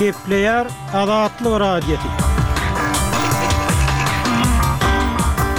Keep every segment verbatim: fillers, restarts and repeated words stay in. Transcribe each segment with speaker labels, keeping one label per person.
Speaker 1: Gepleýär Azatlyk Radiosy.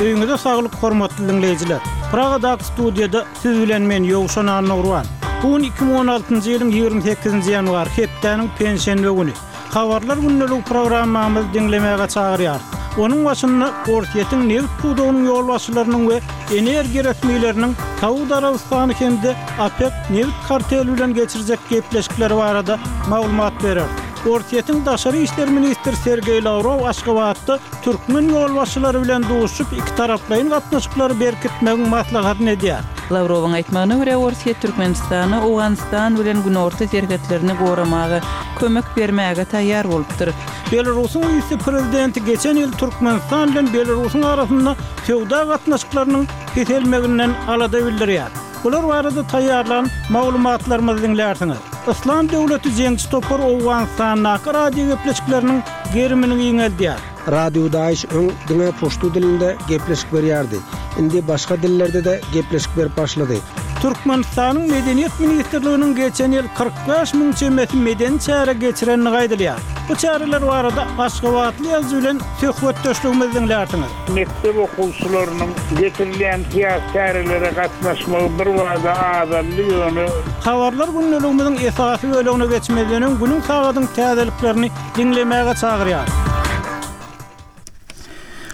Speaker 1: Öýüňize saglyk hormatly diňleýjiler. Pragadaky studiýada siz bilen men Ýowşan Annagurban. Bu gün iki müň on altynjy ýylyň ýigrimi sekizinji ýanwary, hepdäniň penşenbe güni. Habarlar gündeligi programmamyzy diňlemäge çagyrýarys. Onuň başynda Orsýetiň nebit pudagynyň ýolbaşçylarynyň we energiýa resmileriniň Saud Arabystany hem-de OPEK nebit karteli bilen geçirjek gepleşikleri barada maglumat bereris. Orsýetiň daşary işler ministri Sergeý Lawrow Aşgabatda türkmen ýolbaşçylary bilen duşuşyp, ikitaraplaýyn gatnaşyklary berkitmegiň maslahatyny edýär.
Speaker 2: Lawrowyň aýtmagyna görä, Orsýet Türkmenistana Owganystan bilen günorta serhetlerini goramaga kömek bermäge taýýar bolupdyr.
Speaker 1: Belarusyň wise-prezidenti geçen ýyl Türkmenistan bilen Belarusyň arasynda söwda gatnaşyklarynyň peselmeginden alada bildirýär. Bular barada taýýarlan maglumatlarymyzy diňlärsiňiz. Yslam döwleti jeňçi topary Owganystandaky radio gepleşikleriniň gerimini giňeldýär.
Speaker 3: Radio Daesh öň diňe puştu dilinde gepleşik berýärdi. Indi başga dillerde-de gepleşik berip başlady.
Speaker 1: Türkmenistanyň Medeniýet ministrliginiň geçen ýyl kyrk bäş müň çemesi medeni çäre geçirenligi aýdylýar. Bu çäreler barada Aşgabatly ýazyjy bilen söhbetdeşligimizi diňlärsiňiz.
Speaker 4: Mekdep okuwçylarynyň geçirilýän syýasy çärelere gatnaşmagy bir bada azaldy, ýöne
Speaker 1: Habarlar gündeligimiziň esasy bölegine geçmezden öň günüň sagadyň täzeliklerini diňlemäge çagyrýar.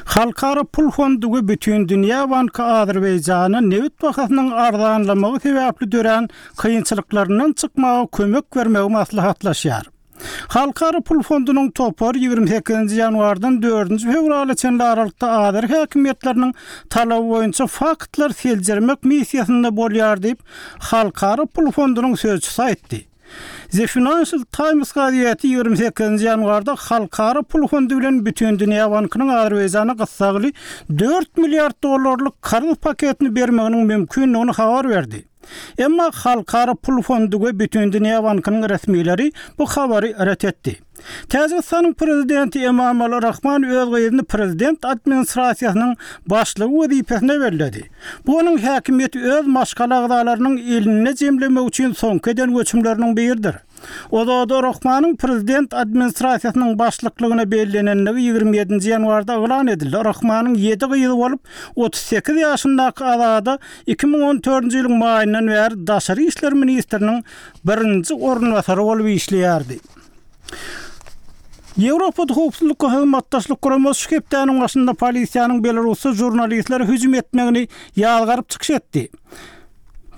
Speaker 1: Halkara Pul Fondy we Bütindünýä Banky Azerbaýjana nebit bahasynyň arzanlamagy sebäpli dörän kynçylyklaryndan çykmaga kömek bermegi maslahatlaşýar. Halkara Pul Fondunyň topary ýigrimi sekizinji ýanwardan dördünji fewrala çenli aralykda Azer häkimiýetleriniň talaby boýunça faktlar seljermek missiýasynda bolýar diýip, Halkara Pul Fondunyň sözçüsi aýtdy. The Financial Times gazeti ýigrimi sekizinji ýanwarda Halkara Pul Fondy bilen Bütindünýä Bankynyň Azerbaýjana gyssagly dört milliard dollarlyk karz paketini bermeginiň mümkindigini habar berdi. Emma Halkara Pul Fondy we Bütindünýä Bankynyň resmileri bu habary ret etdi. Täjigistanyň prezidenti Emomali Rahmon öz gyzyny prezident administrasiýasynyň başlygy wezipesine belledi. Bu onuň häkimiýeti öz maşgala agzalarynyň elinde jemlemek üçin soňky eden göçümleriniň biridir. Ozoda Rahmonyň prezident administrasiýasynyň başlyklygyna bellenenligi ýigrimi ýedinji ýanwarda yglan edildi. Rahmonyň ýedi gyzy bolup, otuz sekiz ýaşyndaky Azada iki müň on dördünji ýylyň maýyndan bäri daşary işler ministriniň birinji orunbasary bolup işleýärdi. Ýewropa Howpsuzlyk Hyzmatdaşlyk Guramasy şu hepdäniň başynda polisiýanyň Belarusda žurnalistlere hüjüm etmegini ýazgaryp çykyş etdi.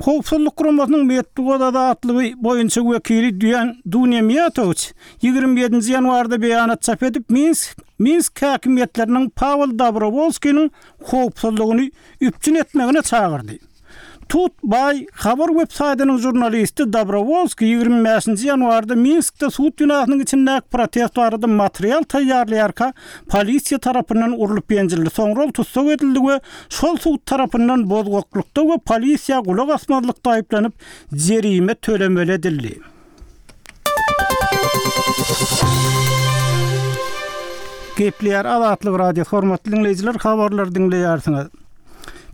Speaker 1: Howpsuzlyk Guramasynyň metbugat azatlygy boýunça wekili Duýan Dunýa Miýatowiç ýigrimi ýedinji ýanwarda beýanat çap edip, Minsk, Minsk häkimiýetleriniň Pawel Dobrowolskiniň howpsuzlygyny üpjün etmegine çagyrdy. Tut Bay habar web saýtynyň žurnalisti Dobrowolski ýigrimi bäşinji ýanwarda Minskde sud binasynyň içindäki protest barada material taýýarlaýarka polisiýa tarapyndan urlup ýenjildi. Soňra ol tussag edildi we şol sud tarapyndan bozgaklykda we polisiýa gulak asmazlykda aýyplanyp jerime tölemeli edildi. Gepleýär Azatlyk Radiosy, hormatly diňleýjiler, habarlary diňleýärsiňiz.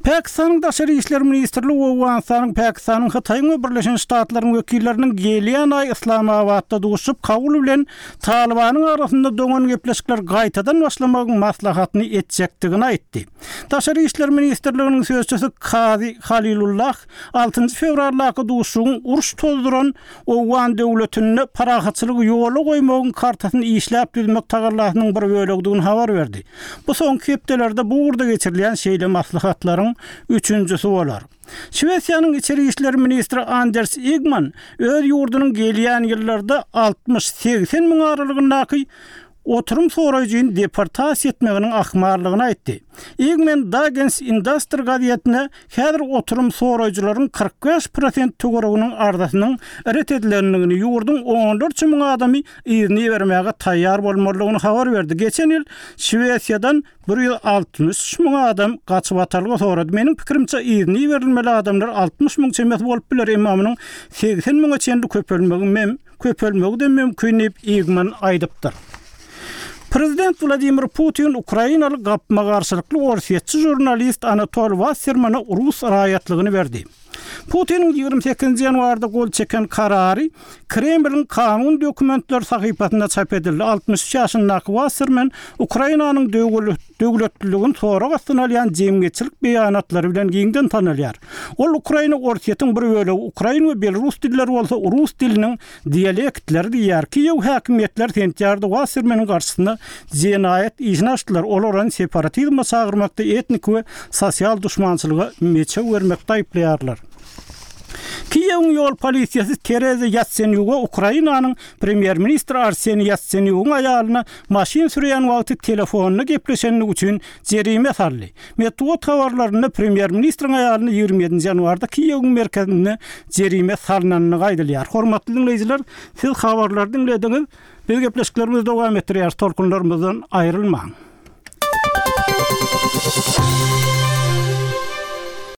Speaker 1: Pakistanyň Daşary işler ministrligi Owganystanyň, Pakistanyň, Hytaýyň we Birleşen Ştatlaryň wekilleriniň gelýän aý Islamabatda duşup, Kabul bilen Talibanyň arasynda doňan gepleşikler gaýtadan başlamagyň maslahatyny etjekdigini aýtdy. Daşary işler ministrliginiň sözçüsi Kazi Halilullah altynjy fewraldaky duşuşygyň uruş tozduran Owgan döwletinde parahatçylygy ýola goýmagyň kartasyny işläp düzmek tagallasynyň bir bölegidigini habar berdi. Bu soňky hepdelerde bu ugurda geçirilýän şeýle maslahatlaryň üçünjisi bolar. Şwesiýanyň içeri işler ministri Anders Igman öz ýurdunyň gelýän ýyllarda altmyş segsen müň aralygyndaky oturum soraýjyny deportasiýa etmeginiň ahmallygyny aýtdy. Igman Dagens Industri gazetine häzir oturum soraýjylaryň kyrk bäş prosent töwereginiň arzasynyň ret edilendigini, ýurduň onlarça müň adamy yzyny bermäge taýýar bolmalydygyny habar berdi. Geçen ýyl Şwesiýadan bir ýüz altmyş müň adam gaçyp atalga sorady. Meniň pikirimçe yzyny berilmeli adamlar altmyş müň çemesi bolup biler, emma munuň segsen müňe çenli köpelmegi mem-, köpelmegi de mümkin diýip Igman aýdypdyr. Prezident Wladimir Putin Ukrainaly gapma-garşylykly orsýetçi žurnalist Anatol Wassermana rus raýatlygyny berdi. Putiniň ýigrimi sekizinji ýanwarda gol çeken karary Kremliň kanun dokumentleri sahypasynda çap edildi. Altmyş üç ýaşyndaky Wasserman Ukrainanyň döwletliligini sorag astyna alýan jemgyýetçilik beýanatlary bilen giňden tanalýar. Ol Ukraina Orsýetiň bir bölegi, ukrain we belorus dilleri bolsa rus diliniň dialektleri diýýär. Kiýew häkimiýetleri sentýabrda Wassermanyň garşysyna jenaýat işini açdylar. Olar ony separatizme çagyrmakda, etnik we sosial duşmançylyga meçew bermekde aýyplaýarlar. Kiýewiň ýol polisiýasy Tereza Ýatsenýuga Ukrainanyň premýer-ministri Arseniý Ýatsenýugyň aýalyna maşyn sürýän wagty telefonda gepleşendigi üçin jerime saldy. Metbugat habarlarynda premýer-ministriň aýalyna ýigrimi ýedinji ýanwarda Kiýewiň merkezinde jerime salnandygy aýdylýar. Hormatly diňleýjiler, siz habarlary diňlediňiz. Biz gepleşiklerimizi dowam etdirýäris, tolkunlarymyzdan aýrylmaň.